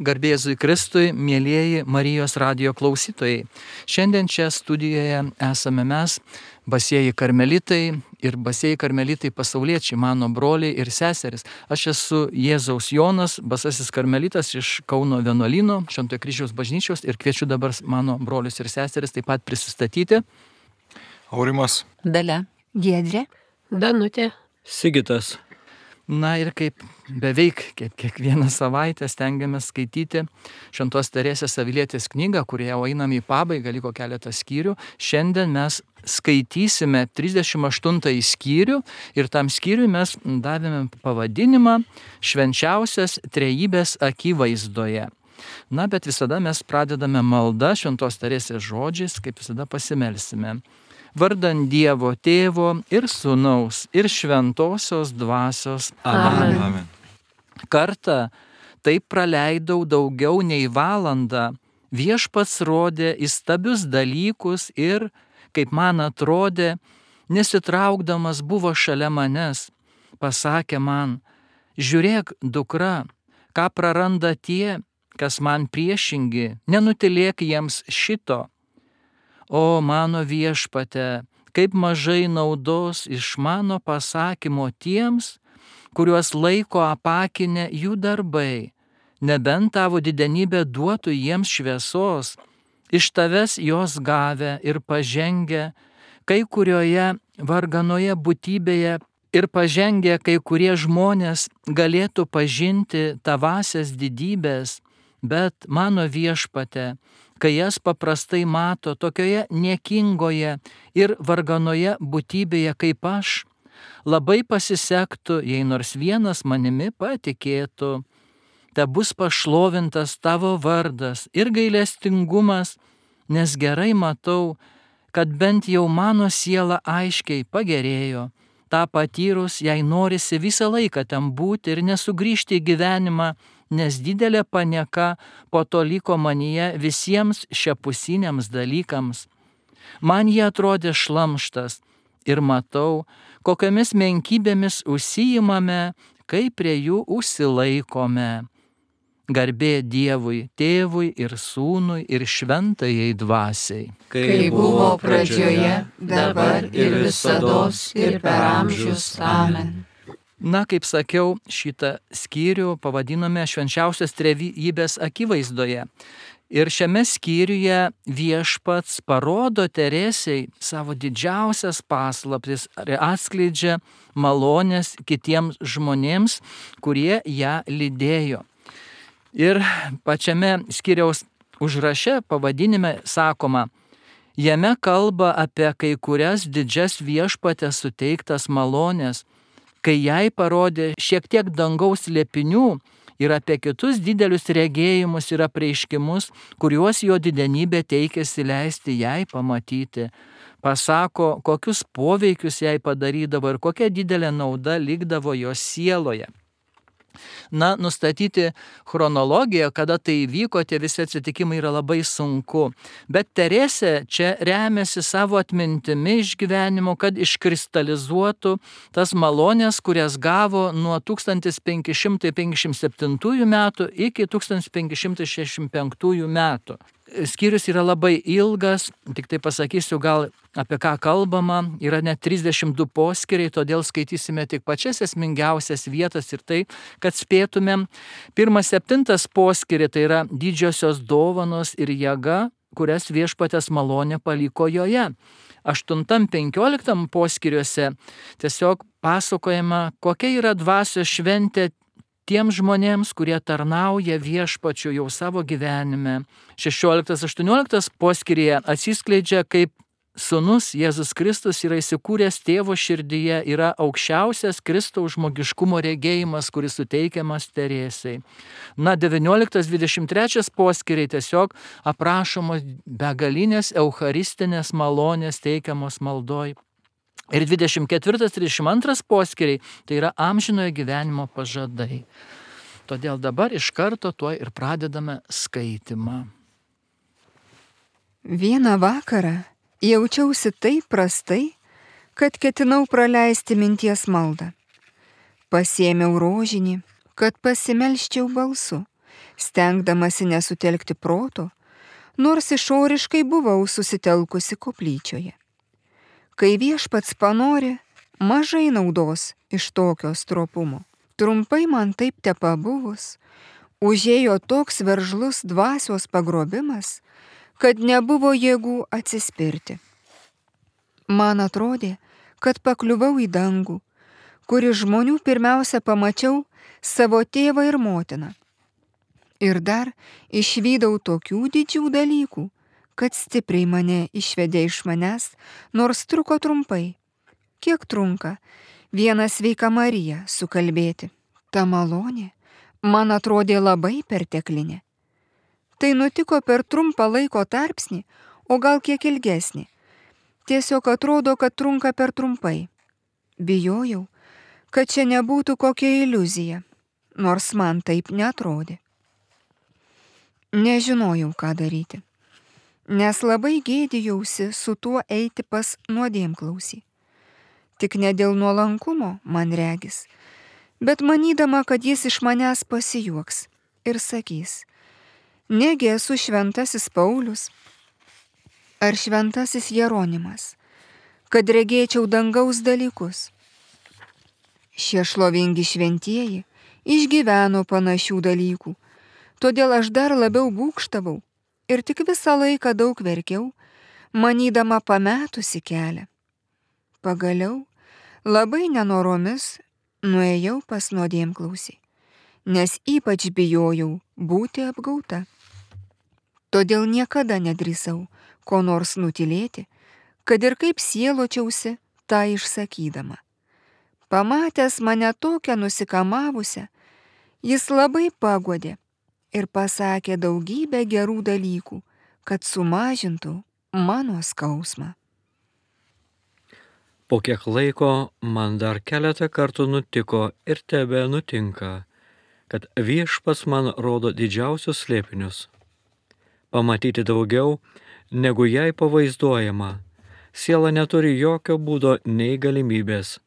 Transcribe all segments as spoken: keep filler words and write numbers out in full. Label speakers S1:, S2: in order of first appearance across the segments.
S1: Garbė Jėzui Kristui, mielieji Marijos radijo klausytojai. Šiandien čia studijoje esame mes, basieji karmelitai ir basieji karmelitai pasauliečiai, mano broliai ir seseris. Aš esu Jėzaus Jonas, basasis karmelitas iš Kauno vienuolyno, Šventojo Kryžiaus bažnyčios ir kviečiu dabar mano brolius ir seseris taip pat prisistatyti.
S2: Aurimas.
S3: Dalia.
S4: Giedrė.
S5: Danutė.
S6: Sigitas.
S1: Na ir kaip beveik kiek, kiekvieną savaitę stengiamės skaityti Šventos Teresės Avilietės knygą, kurie jau einam į pabaigą, liko keletą skyrių. Šiandien mes skaitysime trisdešimt aštuntąjį skyrių ir tam skyriui mes davėme pavadinimą Švenčiausias Trejybės akivaizdoje. Na, bet visada mes pradedame maldą Šventos Teresės žodžiais, kaip visada pasimelsime. Vardan Dievo Tėvo ir Sūnaus ir Šventosios Dvasios.
S2: Amen. Amen.
S1: Kartą taip praleidau daugiau nei valandą, Viešpats rodė įstabius dalykus ir, kaip man atrodė, nesitraukdamas buvo šalia manęs, pasakė man: žiūrėk, dukra, ką praranda tie, kas man priešingi, nenutylėk jiems šito. O mano Viešpate, kaip mažai naudos iš mano pasakymo tiems, kuriuos laiko apakinę jų darbai, nebent tavo didenybė duotų jiems šviesos, iš tavęs jos gavę ir pažengę, kai kurioje varganoje būtybėje ir pažengę kai kurie žmonės galėtų pažinti tavasias didybės, bet mano Viešpate, kai jas paprastai mato tokioje niekingoje ir varganoje būtybėje kaip aš, labai pasisektų, jei nors vienas manimi patikėtų. Te bus pašlovintas tavo vardas ir gailestingumas, nes gerai matau, kad bent jau mano siela aiškiai pagerėjo. Ta patyrus, jei norisi visą laiką ten būti ir nesugrįžti į gyvenimą, nes didelė panieka po to liko manyje visiems šiapusiniams dalykams. Man jie atrodė šlamštas ir matau, kokiamis menkybėmis užsiimame, kai prie jų užsilaikome. Garbė Dievui, Tėvui ir Sūnui ir Šventajai Dvasiai.
S3: Kai buvo pradžioje, dabar ir visados ir per amžius. Amen.
S1: Na, kaip sakiau, šitą skyrių pavadinome Švenčiausios Trejybės akivaizdoje. Ir šiame skyriuje Viešpats parodo Teresei savo didžiausias paslaptis ir atskleidžia malonės kitiems žmonėms, kurie ją lydėjo. Ir pačiame skyriaus užraše pavadinime sakoma: jame kalba apie kai kurias didžias Viešpatės suteiktas malonės, kai jai parodė šiek tiek dangaus slėpinių ir apie kitus didelius regėjimus ir apreiškimus, kuriuos jo didenybė teikėsi leisti jai pamatyti. Pasako, kokius poveikius jai padarydavo ir kokia didelė nauda likdavo jos sieloje. Na, nustatyti chronologiją, kada tai įvyko, tie visi atsitikimai yra labai sunku. Bet Teresė čia remiasi savo atmintimi iš gyvenimo, kad iškristalizuotų tas malonės, kurias gavo nuo tūkstantis penki šimtai penkiasdešimt septintųjų metų iki tūkstantis penki šimtai šešiasdešimt penktųjų metų. Skyrius yra labai ilgas, tik tai pasakysiu gal apie ką kalbama, yra net trisdešimt du poskyriai, todėl skaitysime tik pačias esmingiausias vietas ir tai, kad spėtumėm. Pirmas septintas poskyriai tai yra didžiosios dovanos ir jėga, kurias Viešpatės malonė paliko joje. Aštuntam penkioliktam poskyriuose tiesiog pasakojama, kokia yra dvasios šventė tiems žmonėms, kurie tarnauja Viešpačiu jau savo gyvenime. šešioliktas aštuonioliktas poskyryje atsiskleidžia, kaip Sūnus Jėzus Kristus yra įsikūręs Tėvo širdyje, yra aukščiausias Kristaus žmogiškumo regėjimas, kuris suteikiamas Teresei. Na, devynioliktas dvidešimt trečias poskyriai tiesiog aprašomos begalinės eucharistinės malonės teikiamos maldoj. Ir dvidešimt ketvirtas trisdešimt antras poskyriai tai yra amžinojo gyvenimo pažadai. Todėl dabar iš karto tuo ir pradedame skaitimą.
S4: Vieną vakarą jaučiausi taip prastai, kad ketinau praleisti minties maldą. Pasiėmiau rožinį, kad pasimelščiau balsu stengdamasi nesutelkti proto, nors išoriškai buvau susitelkusi koplyčioje. Kai viešpats panori, mažai naudos iš tokio stropumo. Trumpai man taip tepabuvus, užėjo toks veržlus dvasios pagrobimas, kad nebuvo jėgų atsispirti. Man atrodė, kad pakliuvau į dangų, kur iš žmonių pirmiausia pamačiau savo tėvą ir motiną. Ir dar išvydau tokių didžių dalykų, kad stipriai mane išvedė iš manęs, nors truko trumpai. Kiek trunka vieną sveiką Mariją sukalbėti? Ta malonė man atrodė labai perteklinė. Tai nutiko per trumpą laiko tarpsnį, o gal kiek ilgesnį. Tiesiog atrodo, kad trunka per trumpai. Bijojau, kad čia nebūtų kokia iliuzija, nors man taip netrodė. Nežinojau, ką daryti, nes labai gėdijausi su tuo eiti pas nuodėmklausį. Tik ne dėl nuolankumo, man regis, bet manydama, kad jis iš manęs pasijuoks ir sakys: negi esu šventasis Paulius ar šventasis Jeronimas, kad regėčiau dangaus dalykus. Šie šlovingi šventieji išgyveno panašių dalykų, todėl aš dar labiau būgštavau ir tik visą laiką daug verkiau, manydama pametusi kelią. Pagaliau, labai nenoromis, nuėjau pas nuodėmklausį, nes ypač bijojau būti apgauta. Todėl niekada nedrįsau ko nors nutylėti, kad ir kaip sieločiausi tą išsakydama. Pamatęs mane tokią nusikamavusią, jis labai paguodė ir pasakė daugybę gerų dalykų, kad sumažintų mano skausmą.
S5: Po kiek laiko man dar keletą kartų nutiko ir tebe nutinka, kad viešpats man rodo didžiausius slėpinius. Pamatyti daugiau, negu jai pavaizduojama, siela neturi jokio būdo nei galimybės,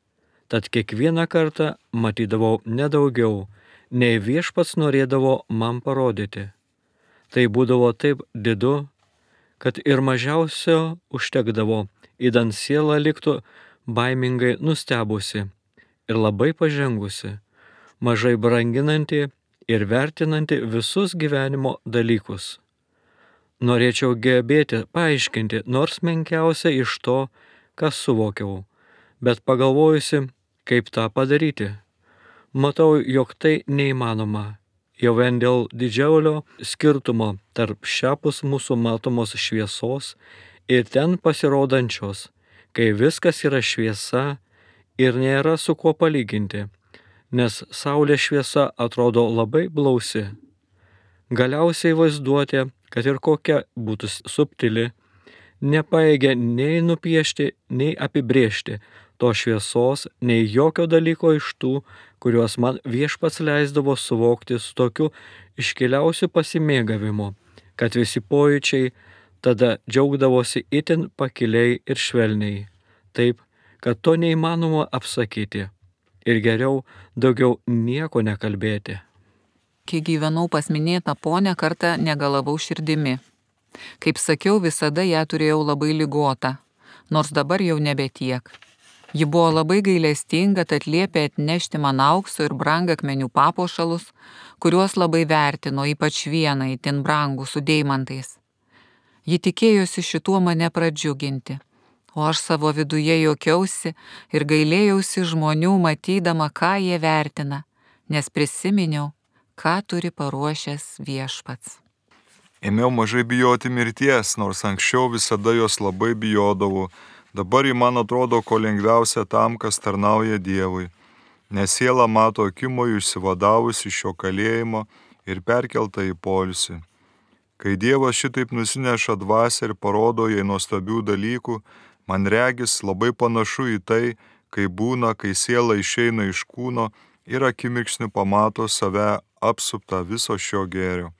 S5: tad kiekvieną kartą matydavau nedaugiau, nei viešpats norėdavo man parodyti. Tai būdavo taip didu, kad ir mažiausio užtekdavo, idant siela liktų baimingai nustebusi ir labai pažengusi, mažai branginanti ir vertinanti visus gyvenimo dalykus. Norėčiau gebėti paaiškinti nors menkiausia iš to, kas suvokiau, bet pagalvojusi, kaip tą padaryti, matau, jog tai neįmanoma, jau vien dėl didžiulio skirtumo tarp šiapus mūsų matomos šviesos ir ten pasirodančios, kai viskas yra šviesa ir nėra su kuo palyginti, nes saulės šviesa atrodo labai blausi. Galiausiai vaizduotė, kad ir kokia būtų subtili, nepaėgia nei nupiešti, nei apibrėžti to šviesos, nei jokio dalyko iš tų, kuriuos man viešpats leisdavo suvokti su tokiu iškiliausiu pasimėgavimu, kad visi pojūčiai tada džiaugdavosi itin pakiliai ir švelniai, taip, kad to neįmanoma apsakyti ir geriau daugiau nieko nekalbėti.
S3: Kai gyvenau pas minėtą ponę, kartą negalavau širdimi. Kaip sakiau, visada ją turėjau labai ligotą, nors dabar jau nebe tiek. Ji buvo labai gailestinga, tad liepė atnešti man aukso ir brangakmenių papuošalus, kuriuos labai vertino, ypač vieną itin brangų su deimantais. Ji tikėjosi šituo mane pradžiuginti, o aš savo viduje juokiausi ir gailėjausi žmonių, matydama, ką jie vertina, nes prisiminiau, ką turi paruošęs viešpats.
S2: Ėmiau mažai bijoti mirties, nors anksčiau visada jos labai bijodavau. Dabar ji man atrodo ko lengviausia tam, kas tarnauja Dievui, nes siela mato akimoju išsivadavusi iš šio kalėjimo ir perkelta į poilsį. Kai Dievas šitaip nusineša dvasią ir parodo jai nuostabių dalykų, man regis labai panašu į tai, kai būna, kai siela išeina iš kūno ir akimirksniu pamato save apsuptą viso šio gėrio.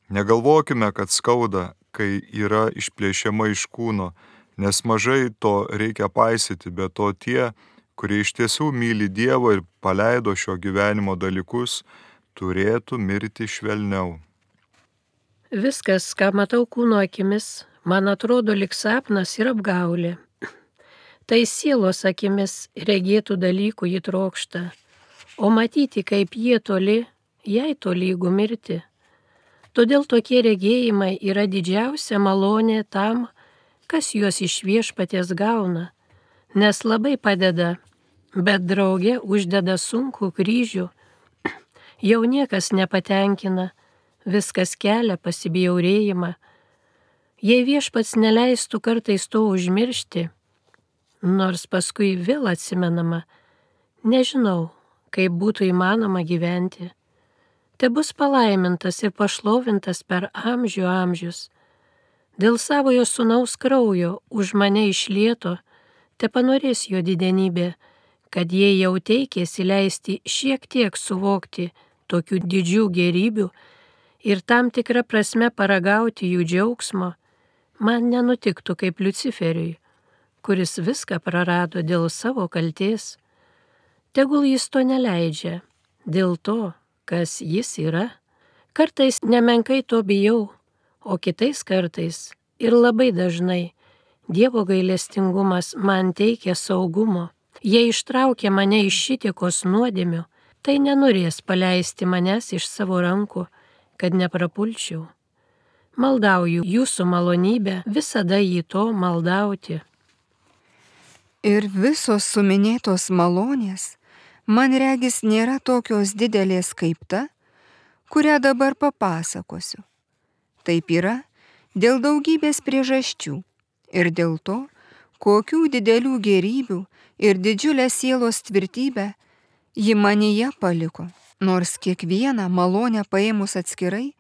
S2: Negalvokime, kad skauda, kai yra išplėšiama iš kūno, nes mažai to reikia paisyti, bet to tie, kurie iš tiesų myli Dievą ir paleido šio gyvenimo dalykus, turėtų mirti švelniau.
S6: Viskas, ką matau kūno akimis, man atrodo lyg sapnas ir apgaulė. Tai sielos akimis regėtų dalykų jį trokšta, o matyti, kaip jie toli, jai tolygų mirti. Todėl tokie regėjimai yra didžiausia malonė tam, kas juos iš Viešpaties gauna, nes labai padeda, bet drauge uždeda sunkų kryžių. Jau niekas nepatenkina, viskas kelia pasibjaurėjimą. Jei Viešpats neleistų kartais to užmiršti, nors paskui vėl atsimenama, nežinau, kaip būtų įmanoma gyventi. Te bus palaimintas ir pašlovintas per amžių amžius. Dėl savojo sūnaus kraujo už mane išlieto, te panorės jo didenybė, kad jie jau teikėsi leisti šiek tiek suvokti tokių didžių gerybių ir tam tikrą prasme paragauti jų džiaugsmo, man nenutiktų kaip Liuciferiui, kuris viską prarado dėl savo kaltės. Tegul jis to neleidžia, dėl to, kas jis yra. Kartais nemenkai to bijau, o kitais kartais ir labai dažnai Dievo gailestingumas man teikia saugumo. Jei ištraukia mane iš šitikos nuodėmių, tai nenorės paleisti manęs iš savo rankų, kad neprapulčiau. Maldauju jūsų malonybę visada jį to maldauti.
S4: Ir visos suminėtos malonės, man regis, nėra tokios didelės kaip ta, kurią dabar papasakosiu. Taip yra dėl daugybės priežasčių ir dėl to, kokių didelių gėrybių ir didžiulę sielos tvirtybę ji manyje paliko, nors kiekvieną malonę paėmus atskirai,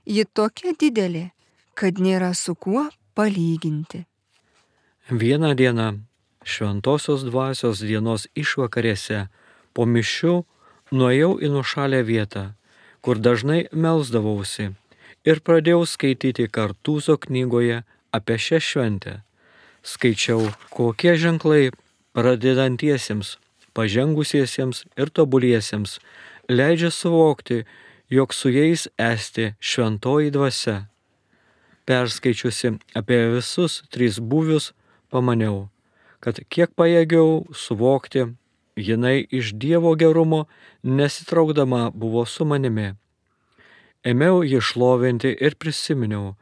S4: ji tokia didelė, kad nėra su kuo palyginti.
S5: Vieną dieną šventosios dvasios dienos išvakarėse po mišių nuėjau į nuošalę vietą, kur dažnai melsdavausi ir pradėjau skaityti Kartūzo knygoje apie šią šventę. Skaičiau, kokie ženklai pradedantiesiems, pažengusiesiems ir tobuliesiems leidžia suvokti, jog su jais esti šventoji dvasia. Perskaičiusi apie visus tris būvius, pamaniau, kad kiek pajėgiau suvokti, jinai iš Dievo gerumo nesitraukdama buvo su manimi. Ėmiau jį šlovinti ir prisiminiau,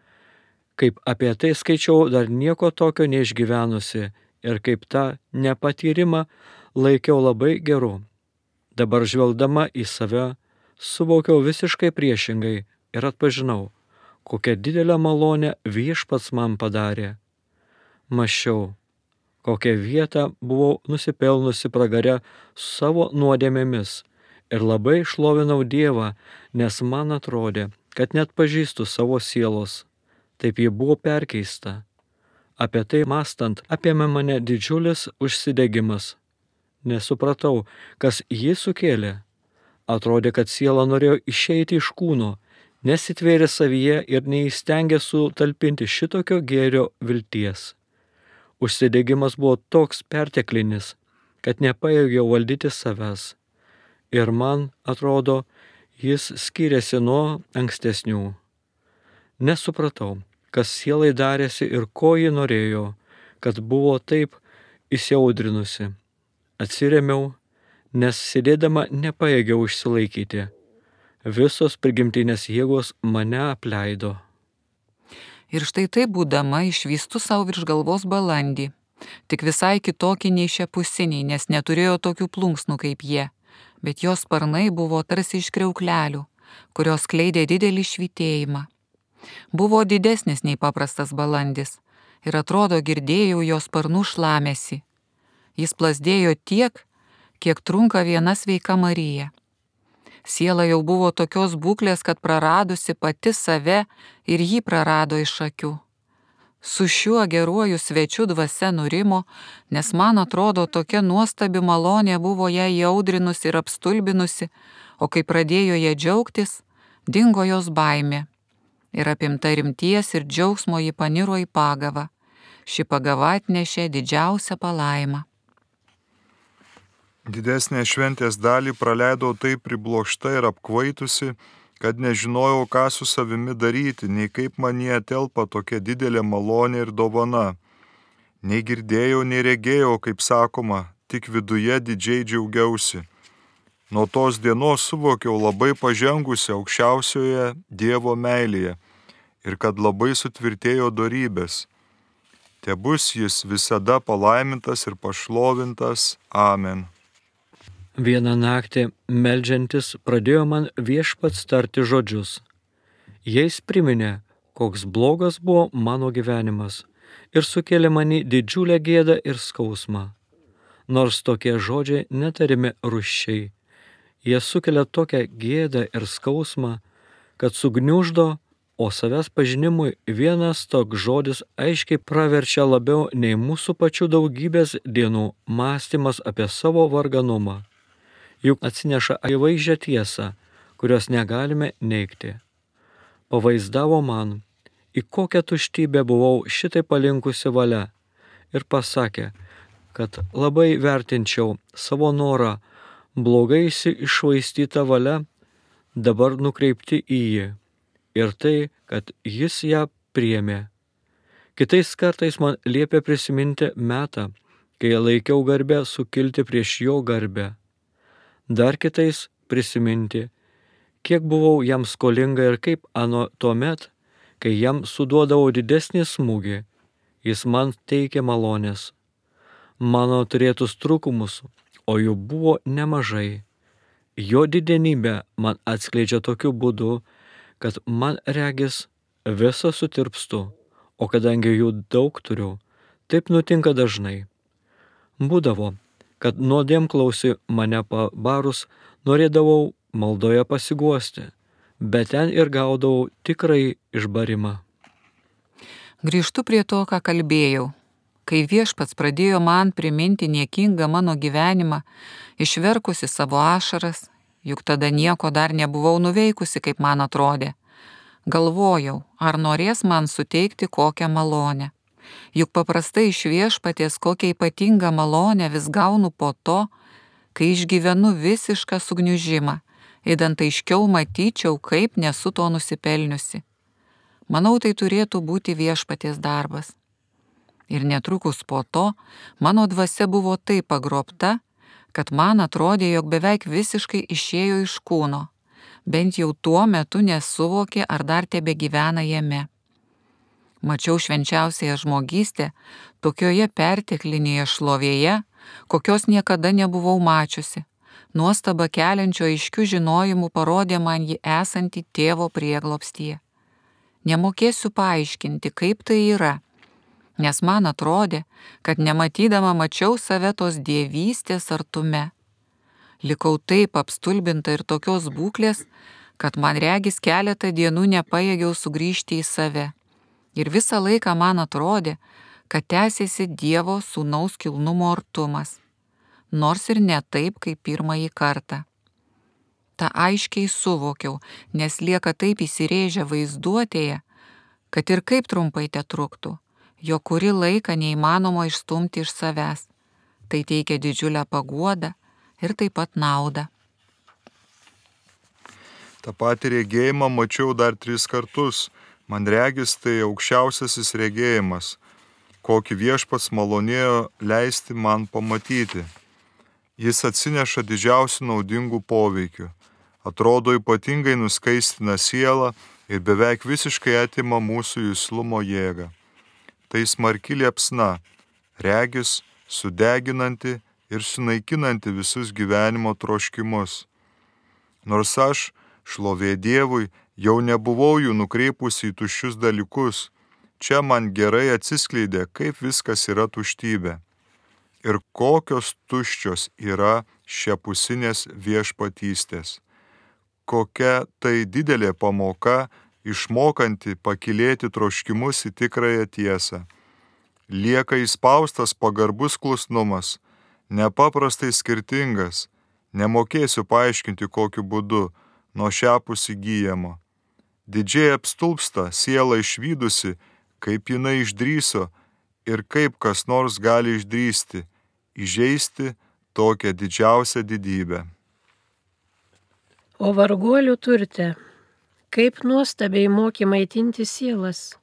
S5: kaip apie tai skaičiau dar nieko tokio neišgyvenusi ir kaip tą nepatyrimą laikiau labai geru. Dabar žvelgdama į save, suvokiau visiškai priešingai ir atpažinau, kokią didelę malonę Viešpats man padarė. Mąsčiau, kokią vietą buvau nusipelnusi pragare savo nuodėmėmis ir labai šlovinau Dievą, nes man atrodė, kad net pažįstu savo sielos. Taip ji buvo perkeista. Apie tai mąstant apėmė mane didžiulis užsidegimas. Nesupratau, kas jį sukėlė. Atrodė, kad siela norėjo išeiti iš kūno, nesitvėrė savyje ir neįstengė sutalpinti šitokio gėrio vilties. Užsidegimas buvo toks perteklinis, kad nepajėgiau valdyti savęs. Ir man atrodo, jis skiriasi nuo ankstesnių. Nesupratau, kas sielai darėsi ir ko ji norėjo, kad buvo taip įsiaudrinusi. Atsiremiau, nes sėdėdama nepajėgiau išsilaikyti. Visos prigimtinės jėgos mane apleido.
S3: Ir štai taip būdama išvystu savo virš galvos balandį, tik visai kitokį nei šiapusiniai, nes neturėjo tokių plunksnų kaip jie, bet jos sparnai buvo tarsi iš kriauklelių, kurios skleidė didelį švytėjimą. Buvo didesnis nei paprastas balandis ir atrodo girdėjau jos sparnų šlamesį. Jis plazdėjo tiek, kiek trunka viena sveika Marija. Siela jau buvo tokios būklės, kad praradusi pati save ir jį prarado iš akių. Su šiuo geruoju svečiu dvasia nurimo, nes man atrodo tokia nuostabi malonė buvo ją įaudrinusi ir apstulbinusi, o kai pradėjo ją džiaugtis, dingo jos baimė. Ir apimta rimties ir džiaugsmo ji paniro į pagavą. Ši pagava atnešė didžiausią palaimą.
S2: Didesnę šventės dalį praleidau taip priblokšta ir apkvaitusi, kad nežinojau, ką su savimi daryti, nei kaip manie telpa tokia didelė malonė ir dovana. Nei girdėjau, nei regėjau, kaip sakoma, tik viduje didžiai džiaugiausi. Nuo tos dienos suvokiau labai pažengusi aukščiausioje Dievo meilėje ir kad labai sutvirtėjo dorybės. Tebus jis visada palaimintas ir pašlovintas. Amen.
S5: Vieną naktį meldžiantis pradėjo man Viešpats tarti žodžius. Jais priminė, koks blogas buvo mano gyvenimas ir sukėlė mani didžiulę gėdą ir skausmą. Nors tokie žodžiai netarimi rūsčiai, jie sukelia tokią gėdą ir skausmą, kad sugniuždo, o savęs pažinimui vienas toks žodis aiškiai praverčia labiau nei mūsų pačių daugybės dienų mąstymas apie savo varganumą. Juk atsineša akivaizdžią tiesą, kurios negalime neigti. Pavaizdavo man, į kokią tuštybę buvau šitai palinkusi valia ir pasakė, kad labai vertinčiau savo norą blogai iššvaistytą valią dabar nukreipti į jį ir tai, kad jis ją priėmė. Kitais kartais man liepė prisiminti metą, kai laikiau garbę sukilti prieš jo garbę. Dar kitais prisiminti, kiek buvau jam skolinga ir kaip ano tuomet, kai jam suduodavau didesnį smūgį, jis man teikė malonės. Mano turėtus trūkumus, o jų buvo nemažai. Jo didenybė man atskleidžia tokiu būdu, kad man regis visa sutirpstu, o kadangi jų daug turiu, taip nutinka dažnai. Būdavo, kad nuodėmklausi mane pabarus norėdavau maldoje pasiguosti, bet ten ir gaudavau tikrai išbarimą.
S3: Grįžtu prie to, ką kalbėjau. Kai Viešpats pradėjo man priminti niekingą mano gyvenimą, išverkusi savo ašaras, juk tada nieko dar nebuvau nuveikusi, kaip man atrodė. Galvojau, ar norės man suteikti kokią malonę. Juk paprastai iš Viešpaties kokią ypatingą malonę vis gaunu po to, kai išgyvenu visišką sugniužimą, idant aiškiau matyčiau, kaip nesu to nusipelniusi. Manau, tai turėtų būti Viešpaties darbas. Ir netrukus po to mano dvasia buvo taip pagrobta, kad man atrodė, jog beveik visiškai išėjo iš kūno, bent jau tuo metu nesuvokė, ar dar tebe gyvena jame. Mačiau švenčiausiąją žmogystę tokioje perteklinėje šlovėje, kokios niekada nebuvau mačiusi. Nuostaba keliančio aiškių žinojimų parodė man jį esantį tėvo prieglobstyje. Nemokėsiu paaiškinti, kaip tai yra, nes man atrodė, kad nematydama mačiau save tos dievystės artume. Likau taip apstulbinta ir tokios būklės, kad man regis keletą dienų nepajėgiau sugrįžti į save. Ir visą laiką man atrodė, kad tęsiasi Dievo sūnaus kilnumo artumas, nors ir ne taip, kaip pirmąjį kartą. Ta aiškiai suvokiau, nes lieka taip įsirėžę vaizduotėje, kad ir kaip trumpai te truktų, jo kurį laiką neįmanoma išstumti iš savęs. Tai teikia didžiulę paguodą ir taip pat naudą.
S2: Ta pati regėjimą mačiau dar tris kartus. Man regis tai aukščiausiasis regėjimas, kokį Viešpats malonėjo leisti man pamatyti. Jis atsineša didžiausių naudingų poveikių, atrodo ypatingai nuskaistina sielą ir beveik visiškai atima mūsų juslumo jėgą. Tai smarki liepsna, regis, sudeginanti ir sunaikinanti visus gyvenimo troškimus. Nors aš, šlovė Dievui, jau nebuvau jų nukreipusi į tuščius dalykus, čia man gerai atsiskleidė, kaip viskas yra tuštybė ir kokios tuščios yra šiapusinės viešpatystės. Kokia tai didelė pamoka, išmokanti pakylėti troškimus į tikrąją tiesą. Lieka įspaustas pagarbus klusnumas, nepaprastai skirtingas, nemokėsiu paaiškinti kokiu būdu, nuo šiapus įgyjamo. Didžiai apstulpsta siela išvydusi, kaip jinai išdryso ir kaip kas nors gali išdrysti, įžeisti tokią didžiausią didybę.
S6: O varguolių turte, kaip nuostabiai moki maitinti sielas,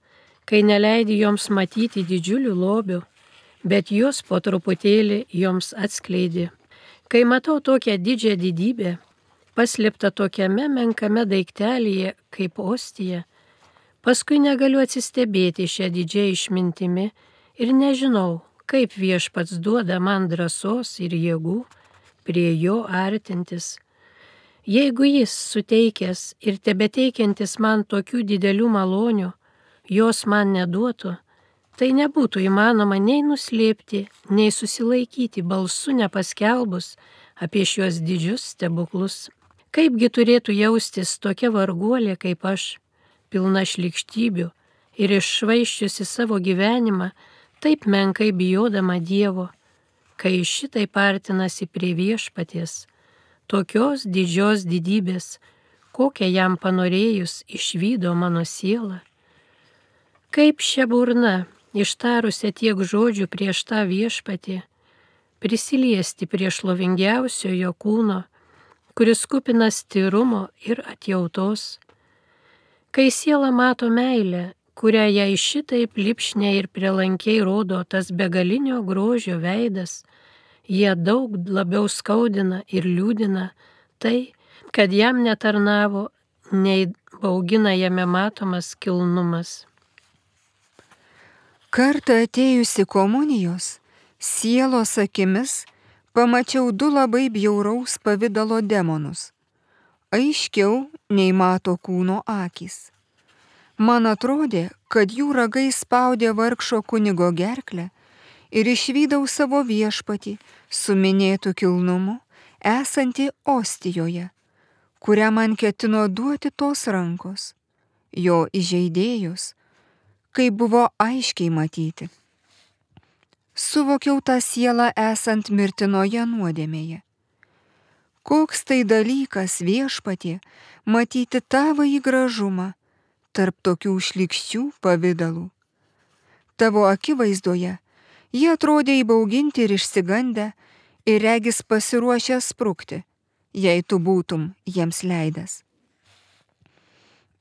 S6: kai neleidi joms matyti didžiulių lobių, bet jos po truputėlį joms atskleidi. Kai matau tokią didžią didybę, paslėptą tokiame menkame daiktelyje kaip ostija, paskui negaliu atsistebėti šią didžią išmintimi ir nežinau, kaip viešpats duoda man drąsos ir jėgų prie jo artintis. Jeigu jis suteikęs ir tebeteikiantis man tokių didelių malonių, jos man neduotų, tai nebūtų įmanoma nei nuslėpti, nei susilaikyti balsu nepaskelbus apie šios didžius stebuklus. Kaipgi turėtų jaustis tokia varguolė kaip aš, pilna šlykštybių ir iššvaiščiusi savo gyvenimą, taip menkai bijodama Dievo, kai šitaip artinasi prie viešpaties, tokios didžios didybės, kokią jam panorėjus išvydo mano siela. Kaip šia burna, ištarusią tiek žodžių prieš tą viešpatį, prisiliesti prie šlovingiausiojo kūno, kuris kupinas tyrumo ir atjautos. Kai siela mato meilę, kurią jai šitaip lipšniai ir prielankiai rodo tas begalinio grožio veidas, jie daug labiau skaudina ir liūdina tai, kad jam netarnavo, nei baugina jame matomas kilnumas.
S4: Kartą atėjusi komunijos, sielos akimis pamačiau du labai bjauraus pavidalo demonus, aiškiau nei mato kūno akys. Man atrodė, kad jų ragai spaudė vargšo kunigo gerklę ir išvydau savo viešpatį su minėtu kilnumu, esantį ostijoje, kurią man ketino duoti tos rankos, jo įžeidėjus, kaip buvo aiškiai matyti. Suvokiau tą sielą esant mirtinoje nuodėmėje. Koks tai dalykas viešpatie matyti tavąjį gražumą tarp tokių šlykščių pavidalų. Tavo akivaizdoje jie atrodė įbauginti ir išsigandę ir regis pasiruošę sprukti, jei tu būtum jiems leidęs.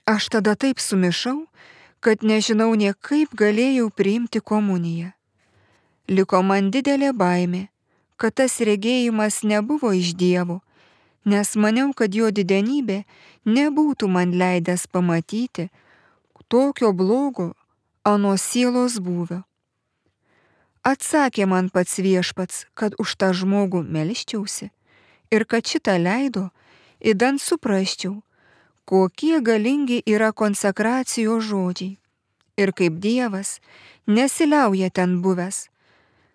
S4: Aš tada taip sumišau, kad nežinau nė kaip galėjau priimti komuniją. Liko man didelė baimė, kad tas regėjimas nebuvo iš Dievo, nes maniau, kad jo didenybė nebūtų man leidęs pamatyti tokio blogo ano sielos būvio. Atsakė man pats viešpats, kad už tą žmogų melščiausi ir kad šitą leido, idant suprasčiau, kokie galingi yra konsekracijos žodžiai ir kaip Dievas nesiliauja ten buvęs,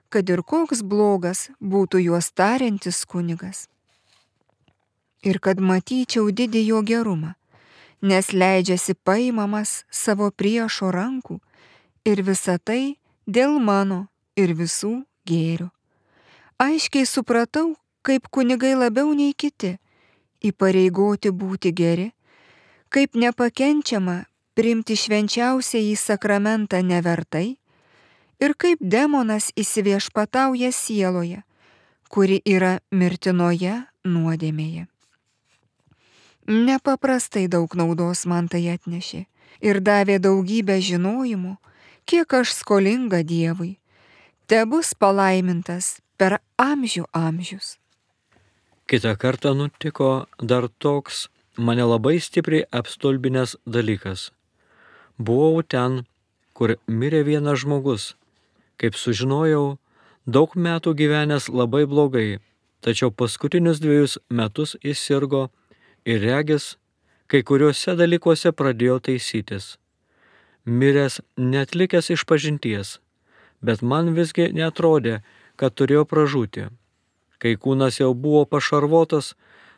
S4: kad ir koks blogas būtų juos tariantis kunigas. Ir kad matyčiau didį jo gerumą, nes leidžiasi paimamas savo priešo rankų ir visa tai dėl mano ir visų gėrių. Aiškiai supratau, kaip kunigai labiau nei kiti įpareigoti būti geri, kaip nepakenčiama priimti švenčiausiąjį sakramentą nevertai ir kaip demonas įsiviešpatauja sieloje, kuri yra mirtinoje nuodėmėje. Nepaprastai daug naudos man tai atnešė ir davė daugybę žinojimų, kiek aš skolinga Dievui. Tebus palaimintas per amžių amžius.
S5: Kitą kartą nutiko dar toks mane labai stipriai apstulbinęs dalykas. Buvau ten, kur mirė vienas žmogus. Kaip sužinojau, daug metų gyvenęs labai blogai, tačiau paskutinius dviejus metus jis sirgo ir regis, kai kuriuose dalykuose pradėjo taisytis. Miręs neatlikęs išpažinties, bet man visgi neatrodė, kad turėjo pražūti. Kai kūnas jau buvo pašarvotas,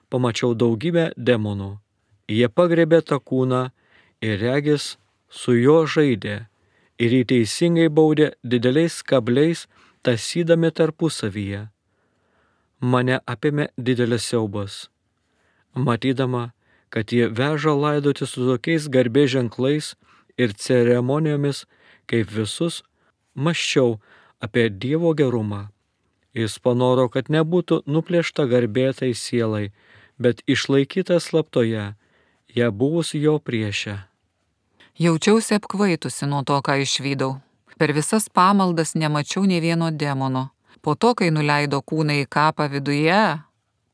S5: pamačiau daugybę demonų. Jie pagrebė tą kūną ir regis su juo žaidė ir jį teisingai baudė dideliais kabliais, tasydami tarpusavyje. Mane apėmė didelis siaubas. Matydama, kad jie veža laidoti su tokiais garbės ženklais ir ceremonijomis, kaip visus, mąsčiau apie Dievo gerumą, Jis panoro, kad nebūtų nuplėšta garbė tai sielai, bet išlaikyta slaptoje, ją buvus jo priešę.
S3: Jaučiausi apkvaitusi nuo to, ką išvydau. Per visas pamaldas nemačiau nė vieno demono. Po to, kai nuleido kūną į kapą viduje,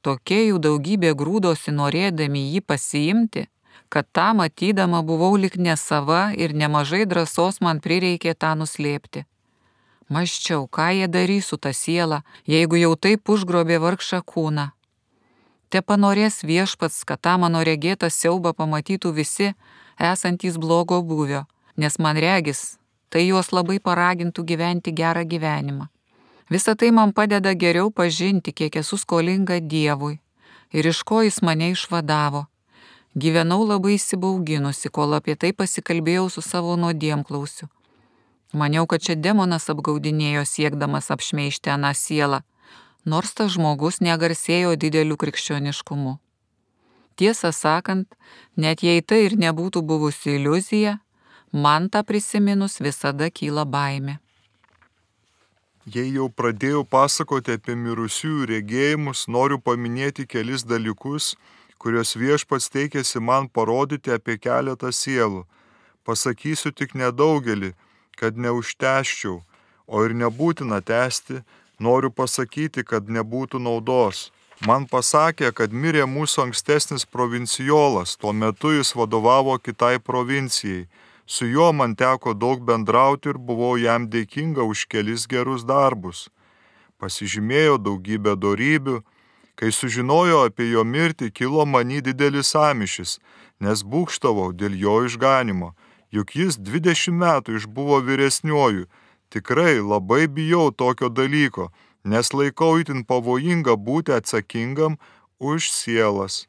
S3: tokie jų daugybė grūdosi norėdami jį pasiimti, kad tą matydama buvau lik nesava ir nemažai drąsos man prireikė tą nuslėpti. Mąsčiau, ką jie darys su ta siela, jeigu jau taip užgrobė vargšą kūną. Te panorės viešpats, kad tą mano regėtą siaubą pamatytų visi, esantys blogo būvio, nes man regis, tai juos labai paragintų gyventi gerą gyvenimą. Visa tai man padeda geriau pažinti, kiek esu skolinga Dievui ir iš ko jis mane išvadavo. Gyvenau labai įsibauginusi, kol apie tai pasikalbėjau su savo nuodėmklausiu. Maniau, kad čia demonas apgaudinėjo siekdamas apšmeižti aną sielą, nors tas žmogus negarsėjo dideliu krikščioniškumu. Tiesą sakant, net jei tai ir nebūtų buvusi iliuzija, man tą prisiminus visada kyla baimė.
S2: Jei jau pradėjau pasakoti apie mirusiųjų regėjimus, noriu paminėti kelis dalykus, kuriuos viešpats teikėsi man parodyti apie keletą sielų. Pasakysiu tik nedaugelį, kad neužtęsčiau, o ir nebūtina tęsti, noriu pasakyti, kad nebūtų naudos. Man pasakė, kad mirė mūsų ankstesnis provincijolas, tuo metu jis vadovavo kitai provincijai. Su juo man teko daug bendrauti ir buvau jam dėkinga už kelis gerus darbus. Pasižymėjo daugybę dorybių. Kai sužinojau apie jo mirtį, kilo many didelis sąmyšis, nes būgštavau dėl jo išganimo. Juk jis dvidešimt metų išbuvo vyresniuoju. Tikrai labai bijau tokio dalyko, nes laikau itin pavojinga būti atsakingam už sielas.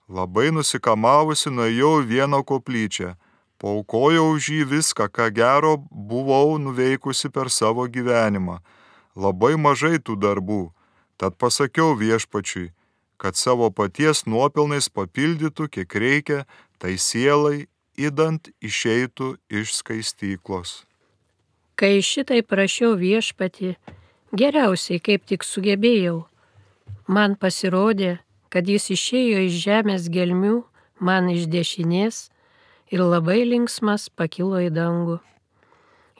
S2: Labai nusikamavusi nuėjau į vieną koplyčią. Paaukojau už jį viską, ką gero buvau nuveikusi per savo gyvenimą. Labai mažai tų darbų. Tad pasakiau viešpačiui, kad savo paties nuopelnais papildytų, kiek reikia, tai sielai, idant išeitų iš skaistyklos.
S6: Kai šitai prašiau viešpatį, geriausiai kaip tik sugebėjau. Man pasirodė, kad jis išėjo iš žemės gelmių, man iš dešinės, ir labai linksmas pakilo į dangų.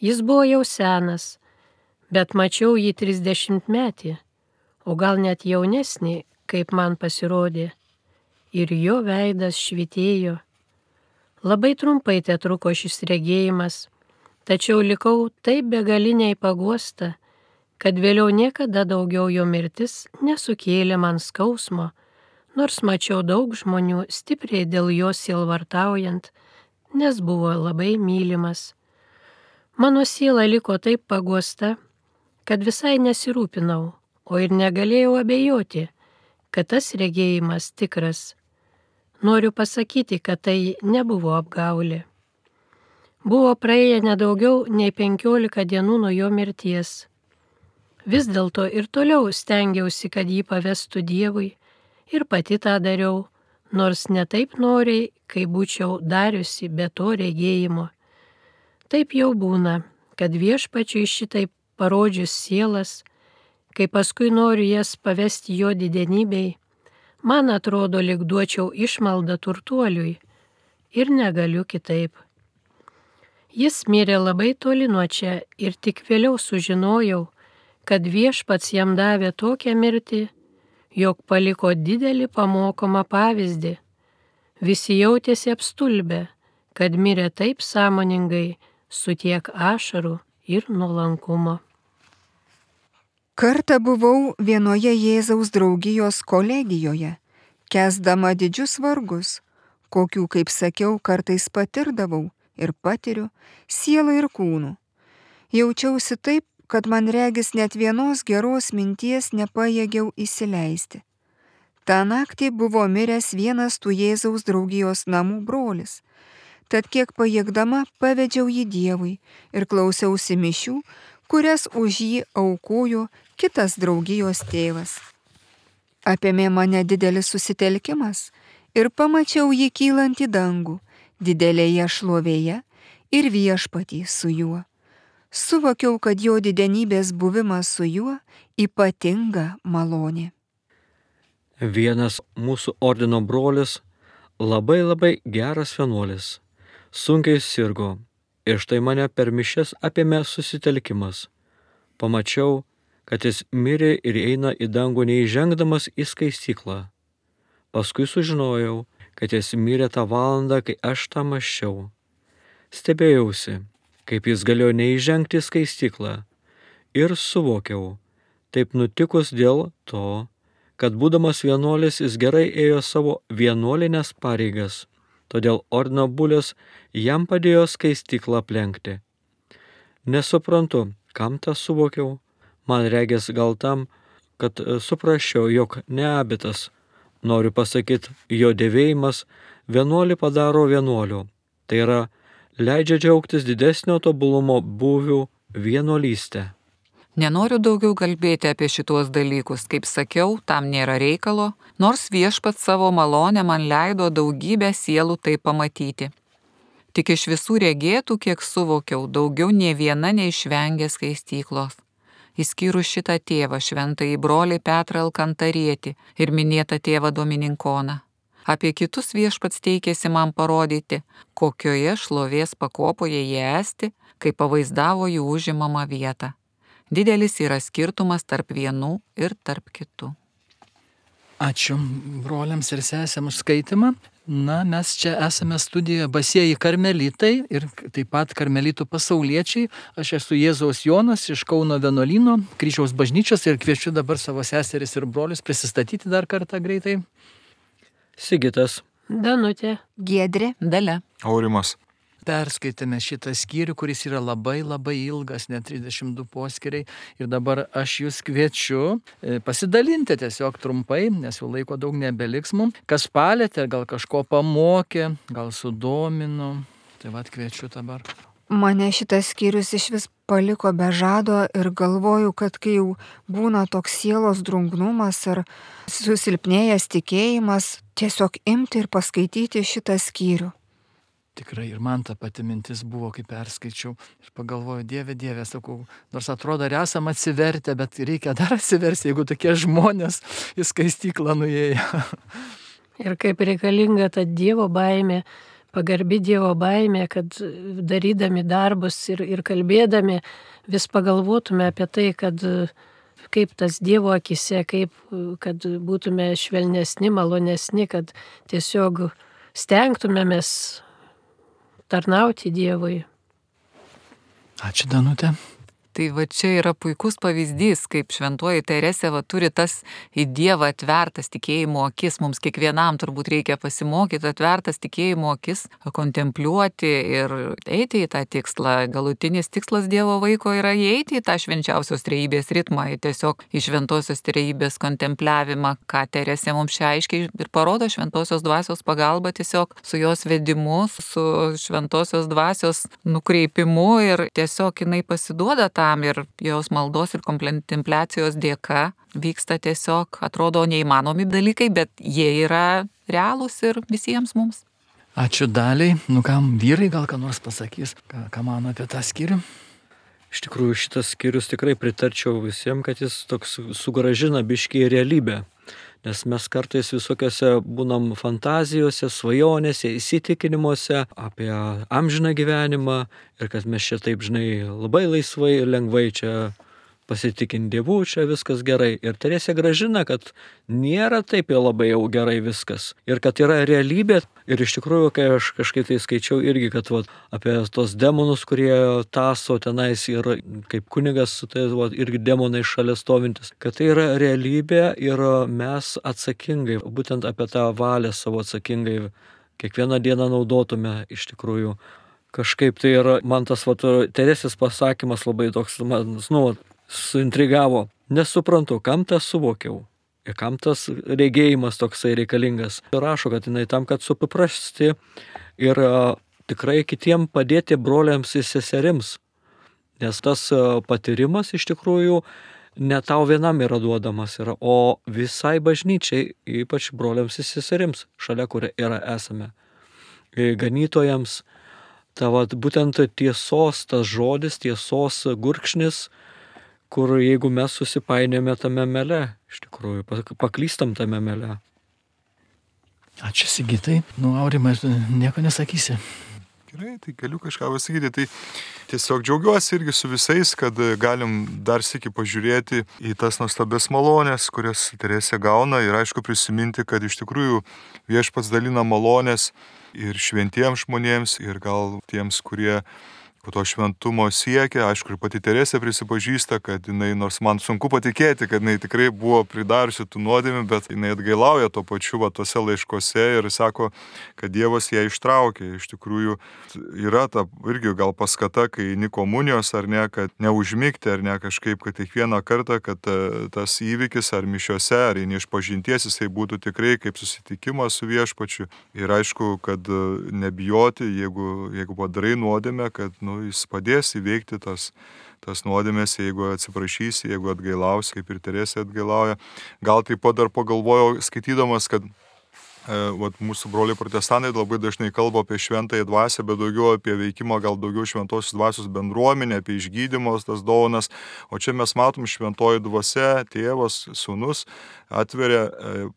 S6: Jis buvo jau senas, bet mačiau jį trisdešimtmetį, o gal net jaunesnį, kaip man pasirodė, ir jo veidas švytėjo. Labai trumpai te truko šis regėjimas, tačiau likau taip begaliniai paguosta, kad vėliau niekada daugiau jo mirtis nesukėlė man skausmo, nors mačiau daug žmonių stipriai dėl jo sielvartaujant, nes buvo labai mylimas. Mano siela liko taip paguosta, kad visai nesirūpinau, o ir negalėjau abejoti, kad tas regėjimas tikras. Noriu pasakyti, kad tai nebuvo apgaulė. Buvo praėję nedaugiau nei penkiolika dienų nuo jo mirties. Vis dėlto ir toliau stengiausi, kad jį pavestų Dievui, ir pati tą dariau, nors ne taip noriai, kai būčiau dariusi be to regėjimo. Taip jau būna, kad viešpačiui šitaip parodžius sielas, kai paskui noriu jas pavesti jo didenybei, man atrodo, lyg duočiau išmaldą turtuoliui ir negaliu kitaip. Jis mirė labai toli nuo čia ir tik vėliau sužinojau, kad viešpats jam davė tokią mirtį, jog paliko didelį pamokomą pavyzdį. Visi jautėsi apstulbę, kad mirė taip sąmoningai, su tiek ašarų ir nuolankumo.
S4: Kartą buvau vienoje Jėzaus draugijos kolegijoje, kęsdama didžius vargus, kokių, kaip sakiau, kartais patirdavau ir patiriu sielą ir kūnų. Jaučiausi taip, kad man regis net vienos geros minties nepajėgiau įsileisti. Ta naktį buvo miręs vienas tų Jėzaus draugijos namų brolis, tad kiek pajėgdama pavedžiau jį Dievui ir klausiausi mišių, kurias už jį aukojo kitas draugijos tėvas. Apėmė mane didelis susitelkimas ir pamačiau jį kylant į dangų, didelėje šlovėje ir viešpatį su juo. Suvokiau, kad jo didenybės buvimas su juo ypatinga malonė.
S5: Vienas mūsų ordino brolis, labai labai geras vienuolis, sunkiai sirgo ir štai mane per mišias apėmė susitelkimas. Pamačiau, kad jis mirė ir eina į dangų neįžengdamas į skaistyklą. Paskui sužinojau, kad jis mirė tą valandą, kai aš tą mąsčiau. Stebėjausi, kaip jis galėjo neįžengti į skaistyklą ir suvokiau, taip nutikus dėl to, kad būdamas vienuolis jis gerai ėjo savo vienuolinės pareigas, todėl ordino bulius jam padėjo skaistyklą aplenkti. Nesuprantu, kam tą suvokiau, man regės gal tam, kad suprasčiau, jog neabitas, noriu pasakyti, jo dėvėjimas vienuolį padaro vienuoliu, tai yra leidžia džiaugtis didesnio tobulumo būvių vienuolystę.
S3: Nenoriu daugiau kalbėti apie šitos dalykus, kaip sakiau, tam nėra reikalo, nors Viešpats savo malonę man leido daugybę sielų tai pamatyti. Tik iš visų regėtų, kiek suvokiau, daugiau nė viena neišvengė skaistyklos. Išskyrus šitą tėvą, šventąjį brolį Petrą Alkantarietį ir minėtą tėvą Domininkoną. Apie kitus Viešpats teikėsi man parodyti, kokioje šlovės pakopoje jie esti, kai pavaizdavo jų užimamą vietą. Didelis yra skirtumas tarp vienų ir tarp kitų.
S1: Ačiū broliams ir sesėms už skaitimą. Na, mes čia esame studijoje Basieji karmelitai ir taip pat karmelitų pasauliečiai. Aš esu Jėzaus Jonas iš Kauno vienuolyno, Kryžiaus bažnyčios ir kviečiu dabar savo seseris ir brolius prisistatyti dar kartą greitai.
S5: Sigitas.
S6: Danutė.
S4: Giedrė.
S3: Dalia.
S2: Aurimas.
S1: Perskaitėme šitą skyrių, kuris yra labai labai ilgas, net trisdešimt du poskiriai. Ir dabar aš jūs kviečiu pasidalinti tiesiog trumpai, nes jau laiko daug nebeliks mums. Kas palėtė, gal kažko pamokė, gal sudomino. Tai vad kviečiu dabar.
S4: Mane šitas skyrius iš vis paliko be žado ir galvoju, kad kai jau būna toks sielos drungnumas ar susilpnėjęs tikėjimas, tiesiog imti ir paskaityti šitą skyrių.
S1: Tikrai ir man ta pati mintis buvo, kai perskaičiau ir pagalvoju, Dieve, Dieve, sakau, nors atrodo, ar esam atsivertę, bet reikia dar atsiversti, jeigu tokie žmonės į skaistyklą nuėjo.
S6: Ir kaip reikalinga ta Dievo baimė, pagarbi Dievo baimė, kad darydami darbus ir, ir kalbėdami vis pagalvotume apie tai, kad kaip tas Dievo akise, kaip kad būtume švelnesni, malonesni, kad tiesiog stengtumėmės tarnauti Dievui.
S1: Ačiū, Danutė.
S3: Tai va čia yra puikus pavyzdys, kaip šventoji Teresė va turi tas į Dievą atvertas tikėjimo akis. Mums kiekvienam turbūt reikia pasimokyti atvertas tikėjimo akis, kontempliuoti ir eiti į tą tikslą. Galutinis tikslas Dievo vaiko yra įeiti į tą švenčiausios trejybės ritmą, į tiesiog į šventosios trejybės kontempliavimą, ką Teresė mums čia aiškiai ir parodo šventosios dvasios pagalba, tiesiog su jos vedimu, su šventosios dvasios nukreipimu ir tiesiog jinai pasiduoda tą ir jos maldos ir kontempliacijos dėka vyksta tiesiog, atrodo, neįmanomi dalykai, bet jie yra realūs ir visiems mums.
S1: Ačiū Daliai. Nu kam, vyrai gal ką nors pasakys, ką, ką mano apie tą skyrių?
S5: Iš tikrųjų, šitas skyrius tikrai pritarčiau visiems, kad jis toks sugražina biškį į realybę. Nes mes kartais visokiose būnam fantazijose, svajonėse, įsitikinimuose apie amžiną gyvenimą ir kad mes čia taip, žinai, labai laisvai ir lengvai čia pasitikinti Dievu, čia viskas gerai. Ir Teresė gražina, kad nėra taip jau labai jau gerai viskas. Ir kad yra realybė. Ir iš tikrųjų, kai aš kažkaip tai skaičiau irgi, kad vat, apie tos demonus, kurie taso tenais ir kaip kunigas, tai vat, irgi demonai šalia stovintis. Kad tai yra realybė ir mes atsakingai, būtent apie tą valią savo atsakingai kiekvieną dieną naudotume iš tikrųjų. Kažkaip tai yra, man tas vat, Teresės pasakymas labai toks, man, nu, suintrigavo. Nesuprantu, kam tą suvokiau ir kam tas regėjimas toksai reikalingas. Rašo, kad jinai tam, kad supaprasti ir a, tikrai kitiem padėti broliams ir seserims. Nes tas a, patyrimas iš tikrųjų ne tau vienam yra duodamas, yra, o visai bažnyčiai, ypač broliams ir seserims, šalia kur yra esame. Ganytojams, ta vat, būtent tiesos, tas žodis, tiesos gurkšnis, kur jeigu mes susipainėme tame mele, iš tikrųjų, paklystam tame mele.
S1: Ačiū Sigitai. Nu, Aurimai, nieko nesakysi.
S2: Gerai, tai galiu kažką pasakyti. Tai tiesiog džiaugiuosi irgi su visais, kad galim dar sykį pažiūrėti į tas nuostabias malonės, kurias Teresė gauna ir aišku prisiminti, kad iš tikrųjų Viešpats dalina malonės ir šventiems žmonėms ir gal tiems, kurie to šventumo siekia. Aišku, ir pati Teresė prisipažįsta, kad jinai, nors man sunku patikėti, kad jinai tikrai buvo pridariusi tų nuodėmių, bet jinai atgailauja to pačiu va tose laiškose ir sako, kad Dievas ją ištraukė. Iš tikrųjų yra ta irgi gal paskata, kai eini komunijos ar ne, kad neužmigti ar ne kažkaip, kad kiekvieną kartą, kad tas įvykis ar mišiose, ar eini iš pažinties, jisai būtų tikrai kaip susitikimas su Viešpačiu. Ir aišku, kad nebijoti, jeigu, jeigu padarai nuodėmę, kad nu, jis padės įveikti tas, tas nuodėmės, jeigu atsiprašysi, jeigu atgailausi, kaip ir Teresė atgailauja. Gal taip pat dar pagalvojau, skaitydamas, kad e, vat, mūsų broliai protestantai labai dažnai kalba apie šventąją dvasią, bet daugiau apie veikimą, gal daugiau šventosios dvasios bendruomenę, apie išgydymus, tas dovanas. O čia mes matom šventoji dvasia, tėvas, sūnus atveria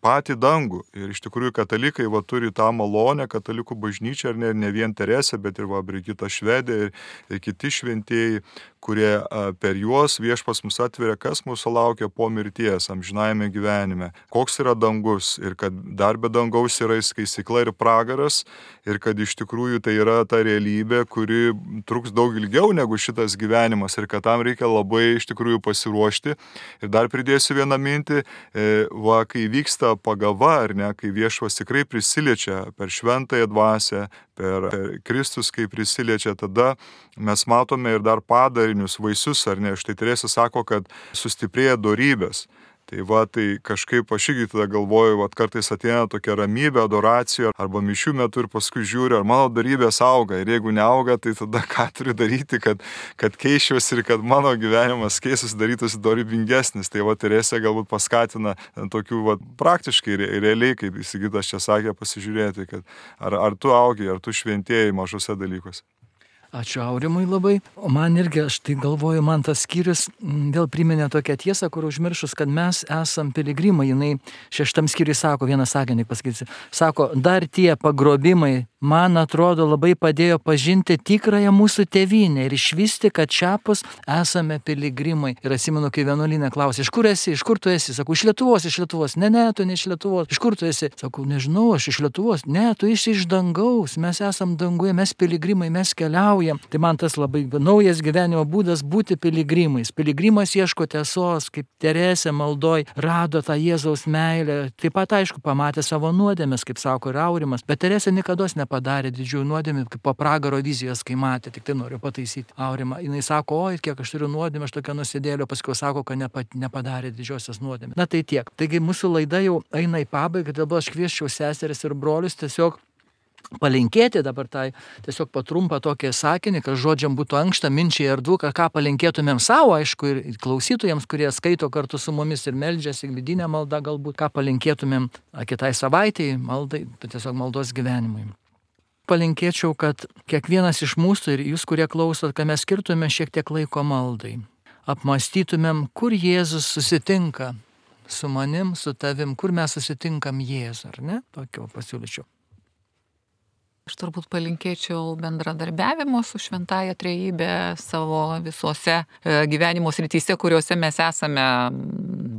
S2: patį dangų. Ir iš tikrųjų katalikai va, turi tą malonę, katalikų bažnyčia, ir ne, ne vien Teresė, bet ir va, Brigita Švedė ir, ir kiti šventieji, kurie a, per juos Viešpats mus atveria, kas mūsų laukia po mirties, amžinajame gyvenime. Koks yra dangus ir kad dar be dangaus yra skaistykla ir pragaras ir kad iš tikrųjų tai yra ta realybė, kuri truks daug ilgiau negu šitas gyvenimas ir kad tam reikia labai iš tikrųjų pasiruošti. Ir dar pridėsiu vieną mintį. E, Va, kai vyksta pagava, ar ne, kai Viešpats tikrai prisiliečia per šventąją dvasią, per Kristus, kai prisiliečia, tada mes matome ir dar padarinius, vaisius, ar ne. Štai Teresė sako, kad sustiprėja dorybės. Tai va, tai kažkaip aš irgi tada galvoju, va, kartais ateina tokia ramybė, adoracija arba mišių metu ir paskui žiūriu, ar mano dorybės auga. Ir jeigu neauga, tai tada ką turiu daryti, kad, kad keičiuosi ir kad mano gyvenimas keistus darytųsi dorybingesnis. Tai va, Teresė galbūt paskatina tokių va, praktiškai, realiai, kaip Sigitas čia sakė, pasižiūrėti, kad ar, ar tu augi, ar tu šventėjai mažose dalykuose.
S1: Ačiū Aurimui labai. O man irgi, aš tai galvoju, man tas skyrius vėl priminė tokią tiesą, kur užmiršus, kad mes esam piligrimai. Jinai šeštam skyriui sako, vieną sakinį pasakysiu, sako, dar tie pagrobimai, man atrodo, labai padėjo pažinti tikrąją mūsų tėvynę ir išvysti, kad šiapus esame piligrimai. Ir atsimenu, kai vienuolyne klausė, iš kur esi, iš kur tu esi? Sakau, iš Lietuvos, iš Lietuvos. Ne, ne, tu ne iš Lietuvos. Iš kur tu esi? Sakau, nežinau, aš iš Lietuvos. Ne, tu esi iš dangaus. Mes esam danguje, mes piligrimai, mes keliaujam. Tai man tas labai naujas gyvenimo būdas būti piligrimais. Piligrimas ieško tiesos, kaip Teresė maldoj rado tą Jėzaus meilę. Taip pat, aišku, pamatė savo nuodėmes, kaip sako ir Aurimas. Bet Teresė niekados nepadarė didžiųjų nuodėmių, kaip po pragaro vizijos, kai matė. Tik tai noriu pataisyti Aurimą. Jis sako, oi, kiek aš turiu nuodėmę, aš tokia nusidėlio, paskui sako, kad nepadarė didžiosios nuodėmės. Na tai tiek. Taigi mūsų laida jau eina į pabaigą, dabar aš kviesčiau seseris ir brolius tiesiog palinkėti dabar tai tiesiog patrumpą tokį sakinį, kad žodžiam būtų ankšta, minčiai ar dvuka, ką palinkėtumėm savo, aišku, ir klausytojams, kurie skaito kartu su mumis ir meldžiasi, vidinę maldą galbūt, ką palinkėtumėm kitai savaitėjai, maldai, tiesiog maldos gyvenimui. Palinkėčiau, kad kiekvienas iš mūsų ir jūs, kurie klausot, kad mes skirtume šiek tiek laiko maldai. Apmąstytumėm, kur Jėzus susitinka su manim, su tavim, kur mes susitinkam Jėzų, ar ne? Tokio pasiūlyčiau.
S3: Aš turbūt palinkėčiau bendradarbiavimo su šventąja trejybe savo visose gyvenimo srityse, kuriuose mes esame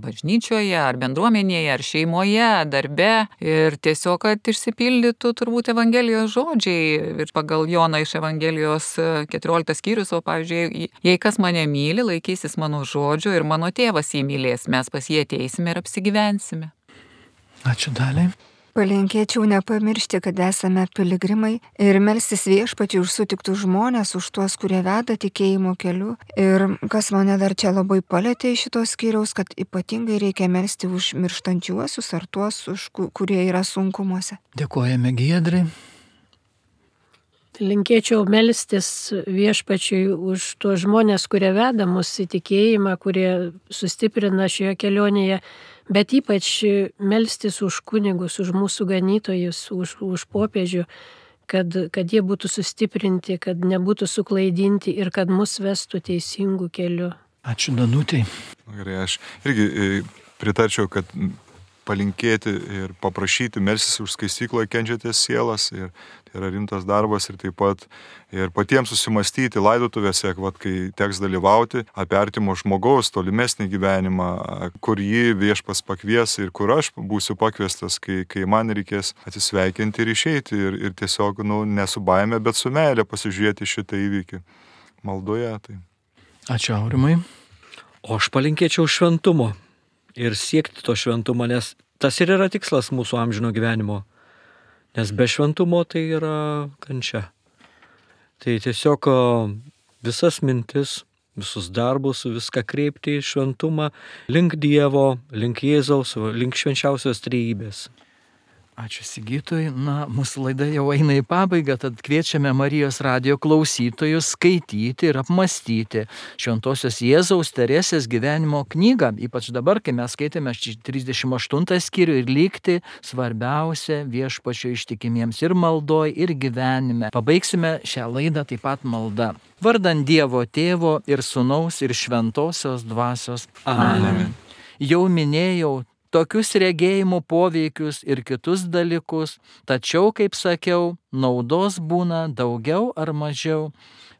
S3: bažnyčioje, ar bendruomenėje, ar šeimoje, darbe. Ir tiesiog, kad išsipildytų turbūt Evangelijos žodžiai. Ir pagal Joną iš Evangelijos keturioliktas skyrius, o pavyzdžiui, jei kas mane myli, laikysis mano žodžio ir mano tėvas jį mylės, mes pas jį ateisime ir apsigyvensime.
S1: Ačiū Daliai.
S4: Palinkėčiau nepamiršti, kad esame piligrimai ir melstis Viešpačiui už sutiktus žmonės, už tuos, kurie veda tikėjimo keliu. Ir kas mane dar čia labai palėtė iš šitos skyriaus, kad ypatingai reikia melsti už mirštančiuosius ar tuos, už kurie yra sunkumuose.
S1: Dėkojame Giedrai.
S6: Linkėčiau melstis Viešpačiui už tuos žmonės, kurie veda mus į tikėjimą, kurie sustiprina šioje kelionėje. Bet ypač melstis už kunigus, už mūsų ganytojus, už, už popiežių, kad, kad jie būtų sustiprinti, kad nebūtų suklaidinti ir kad mus vestų teisingų kelių.
S1: Ačiū Danutei.
S2: Gerai, aš irgi e, pritarčiau, kad palinkėti ir paprašyti, melsis už skaistykloje kenčiatės sielas, ir tai yra rimtas darbas, ir taip pat ir patiems susimastyti laidotuvėse, vat, kai teks dalyvauti, apie artimo žmogaus tolimesnį gyvenimą, kur jį viešpas pakvies ir kur aš būsiu pakviestas, kai, kai man reikės atsisveikinti ir išeiti, ir, ir tiesiog nu, ne su baime, bet su meilė pasižiūrėti šitą įvykį maldoje. Tai.
S1: Ačiū Aurimai.
S5: O aš palinkėčiau šventumo ir siekti to šventumo, nes tas ir yra tikslas mūsų amžino gyvenimo. Nes be šventumo tai yra kančia. Tai tiesiog visas mintis, visus darbus, viską kreipti į šventumą link Dievo, link Jėzaus, link švenčiausios trejybės.
S1: Ačiū Sigitui. Na, mūsų laida jau eina į pabaigą, tad kviečiame Marijos radijo klausytojus skaityti ir apmastyti Šventosios Jėzaus Teresės gyvenimo knygą, ypač dabar, kai mes skaitėme trisdešimt aštuntą skyrių, ir likti svarbiausia viešpačio ištikimiems ir maldoj, ir gyvenime. Pabaigsime šią laidą taip pat malda. Vardan Dievo Tėvo ir Sūnaus ir Šventosios Dvasios. Amen. Jau minėjau tokius regėjimų poveikius ir kitus dalykus, tačiau, kaip sakiau, naudos būna daugiau ar mažiau.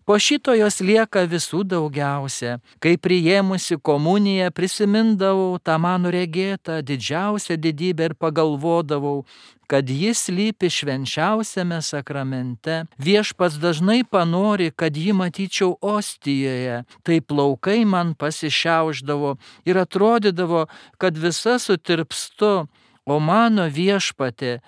S1: Po šito jos lieka visų daugiausia. Kai priėmusi komuniją prisimindavau tą mano regėtą didžiausią didybę ir pagalvodavau, kad jis slypi švenčiausiame sakramente. Viešpats dažnai panori, kad jį matyčiau ostijoje, tai plaukai man pasišiaušdavo ir atrodydavo, kad visa sutirpstu, o mano Viešpatie,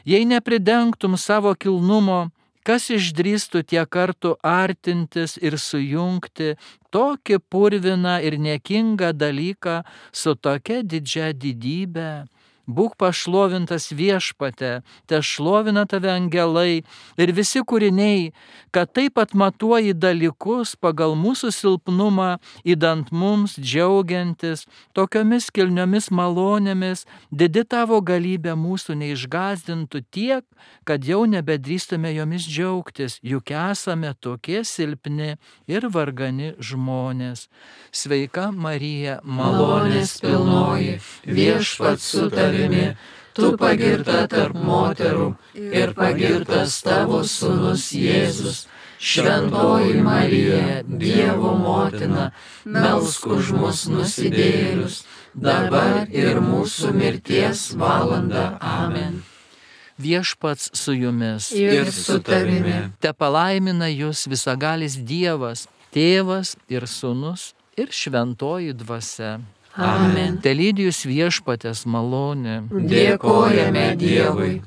S1: jei nepridengtum savo kilnumo, kas išdrįstų tiek kartų artintis ir sujungti tokį purviną ir niekingą dalyką su tokia didžia didybe? Būk pašlovintas Viešpate, te šlovina tave angelai ir visi kūriniai, kad taip atmatuoji dalykus pagal mūsų silpnumą, įdant mums džiaugiantis tokiomis kilniomis malonėmis, didi tavo galybė mūsų neišgąsdintų tiek, kad jau nebedrįstume jomis džiaugtis, juk esame tokie silpni ir vargani žmonės. Sveika Marija, malonės pilnoji, Viešpats su tavimi, tu pagirta tarp moterų ir pagirtas tavo sūnus Jėzus. Šventoji Marija, Dievo motina, melsk už mus nusidėjėlius, dabar ir mūsų mirties valanda. Amen. Viešpats su jumis
S6: Ir
S3: su tavimi.
S1: te palaimina jūs visagalis Dievas, Tėvas ir Sūnus ir Šventoji Dvasia.
S3: Amen.
S1: Te lydi jūs Viešpatės malonė.
S3: Dėkojame Dievui.